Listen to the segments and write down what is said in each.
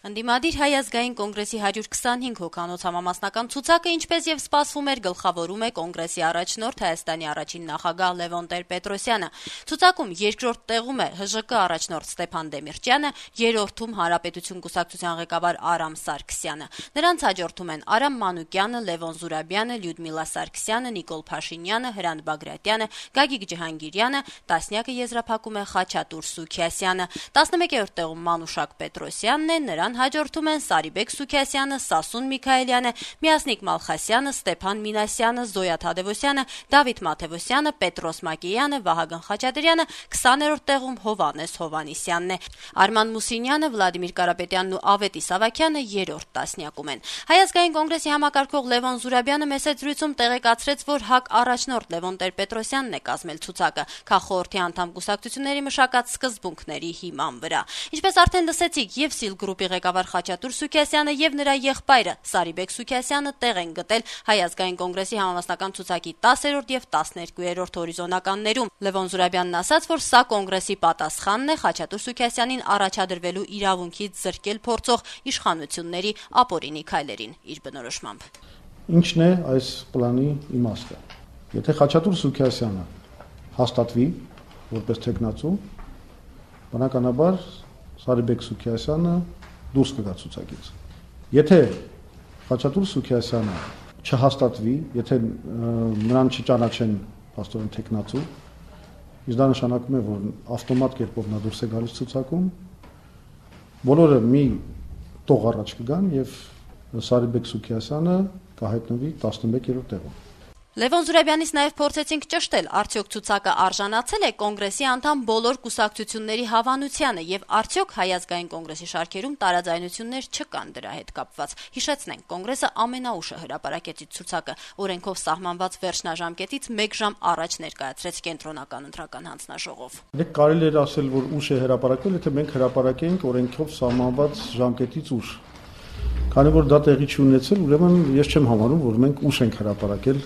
Ընդդիմադիր Հայ ազգային կոնգրեսի 125 հոգանոց համամասնական ցուցակը, ինչպես եւ սպասվում էր, գլխավորում է կոնգրեսի առաջնորդ Հայաստանի առաջին նախագահ Լևոն Տեր-Պետրոսյանը։ Ցուցակում երկրորդ տեղում է ՀԺԿ առաջնորդ Ստեփան Դեմիրճյանը, երրորդում Հանրապետություն կուսակցության ղեկավար Արամ Սարգսյանը։ Նրանց հաջորդում են Արամ Մանուկյանը, Լևոն Զուրաբյանը, Լյուդմիլա Սարգսյանը, Նիկոլ Փաշինյանը, Հրանտ Բագրատյանը, Գագիկ Ջհանգիրյանը, տասնյակը եզրափակում է Խաչատուր Սուքիասյանը, 11-րդ տեղում Մանուշակ Պետրոսյանն է, նրան հաջորդում են Սարիբեկ Սուքիասյանը, Սասուն Միքայելյանը, Միասնիկ Մալխասյանը, Ստեփան Մինասյանը, Զոյա Թադևոսյանը, Դավիթ Մաթևոսյանը, Պետրոս Մակեյանը, Վահագն Խաչատրյանը, 20-րդ տեղում Հովհաննես Հովհաննիսյանն է։ Արման Մուսինյանը, Վլադիմիր Կարապետյանն ու Ավետիս Ավագյանը երրորդ տասնյակում են։ Հայ ազգային կոնգրեսի համակարգող Լևոն Զուրաբյանը մեծ զրույցում տեղեկացրեց, որ ՀԱԿ առաջնորդ Լևոն Տեր-Պետրոսյանն է կազմել ցուցակը քաղխորհրդի անդամ կուսակցությունների մշակած սկզբունքների հիման վրա։ Ինչպես արդեն լսեցիք, եւ Սիլ գրուպի ղեկավար Խաչատուր Սուքիասյանը եւ նրա եղբայրը Սարիբեկ Սուքիասյանը տեղ են գտել Հայ ազգային կոնգրեսի համամասնական ցուցակի 10-րդ եւ 12-րդ հորիզոնականներում։ Լևոն Զուրաբյանն ասաց, որ սա կոնգրեսի պատասխանն է Խաչատուր Սուքիասյանին առաջադրվելու իրավունքից զրկել փորձող իշխանությունների ապօրինի քայլերին իր բնորոշմամբ։ Ինչն է այս պլանի իմաստը։ Եթե Խաչատուր Սուքիասյանը հաստատվի որպես թեկնածու, բնականաբար Սարիբեկ Սուքիասյանը դուրս կգա ցուցակից։ Եթե Խաչատուր Սուքիասյանը չհաստատվի, եթե նրան չճանաչեն փաստորեն թեկնածու, իսկ դա նշանակում է, որ ավտոմատ կերպով նա դուրս է գալիս ցուցակում, բոլորը մի տող առաջ կգան եւ Սարիբեկ Սուքիասյանը կհայտնվի 11-րդ տեղում։ Լևոն Զուրաբյանից նաև փորձեցինք ճշտել, արդյոք ցուցակը արժանացել է կոնգրեսի անդամ բոլոր կուսակցությունների հավանությանը եւ արդյոք Հայ ազգային կոնգրեսի շարքերում տարաձայնություններ չկան դրա հետ կապված։ Հիշեցնենք, կոնգրեսը ամենաուշը հրապարակեց իր ցուցակը, օրենքով սահմանված վերջնաժամկետից 1 ժամ առաջ ներկայացրեց կենտրոնական ընտրական հանձնաժողով։ Դե կարելի է ասել, որ ուշ է հրապարակվել, եթե մենք հրապարակենք օրենքով սահմանված ժամկետից ուշ։ Քանի որ դա տեղի չունեցել, ուրեմն ես չեմ համարում, որ մենք ուշ ենք հրապարակել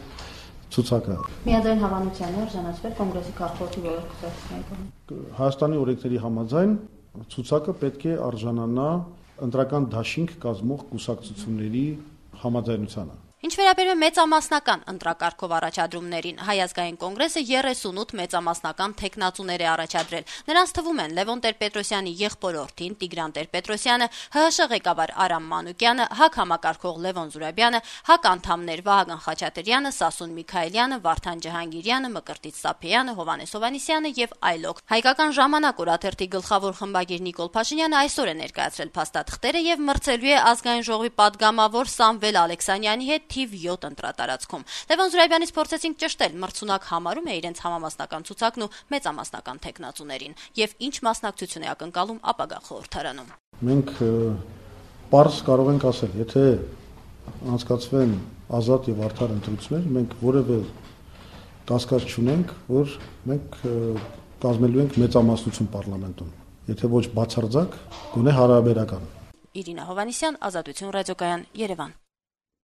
ցուցակը։ Միաձայն հավանության է արժանացվել կոնգրեսի քաղաքացի բոլոր կուսակցությունների կողմից։ Հայաստանի օրենքների համաձայն ցուցակը պետք է արժանանա ընտրական դաշինք կազմող կուսակցությունների համաձայնությանը։ Ինչ վերաբերում է մեծամասնական ընտրակարգով առաջադրումներին, Հայ ազգային կոնգրեսը 38 մեծամասնական թեկնածուներ է առաջադրել։ Նրանց թվում են Լևոն Տեր-Պետրոսյանի եղբորորդին Տիգրան Տեր-Պետրոսյանը, ՀՀՇ ղեկավար Արամ Մանուկյանը, ՀԱԿ համակարգող Լևոն Զուրաբյանը, ՀԱԿ անդամներ Վահագն Խաչատրյանը, Սասուն Միքայելյանը, Վարդան Ջհանգիրյանը, Մկրտիչ Սափեյանը, Հովհաննես Հովհաննիսյանը եւ այլոք։ Հայկական ժամանակ օրաթերթի գլխավոր խմբագիր Նիկոլ Փաշինյանը այսօր է ներկայացրել փաստաթղթերը եւ մրցելու է ազգային ժողովի падգամավոր Սամվել Ալեքսանյանի հետ թիվ 7 ընտրատարածքում։ Լևոն Զուրաբյանից փորձեցինք ճշտել, մրցունակ համարում է իրենց համամասնական ցուցակն ու մեծամասնական թեկնածուներին եւ ինչ մասնակցություն է ակնկալում ապագա խորհրդարանում։ Մենք պարզ կարող ենք ասել, եթե անցկացվեն ազատ եւ արդար ընտրություններ, մենք որևէ կասկած չունենք, որ մենք կազմելու ենք մեծամասնություն պարլամենտում, եթե ոչ բացարձակ, գոնե հարաբերական։ Իրինա Հովհաննիսյան, Ազատություն ռադիոկայան, Երևան։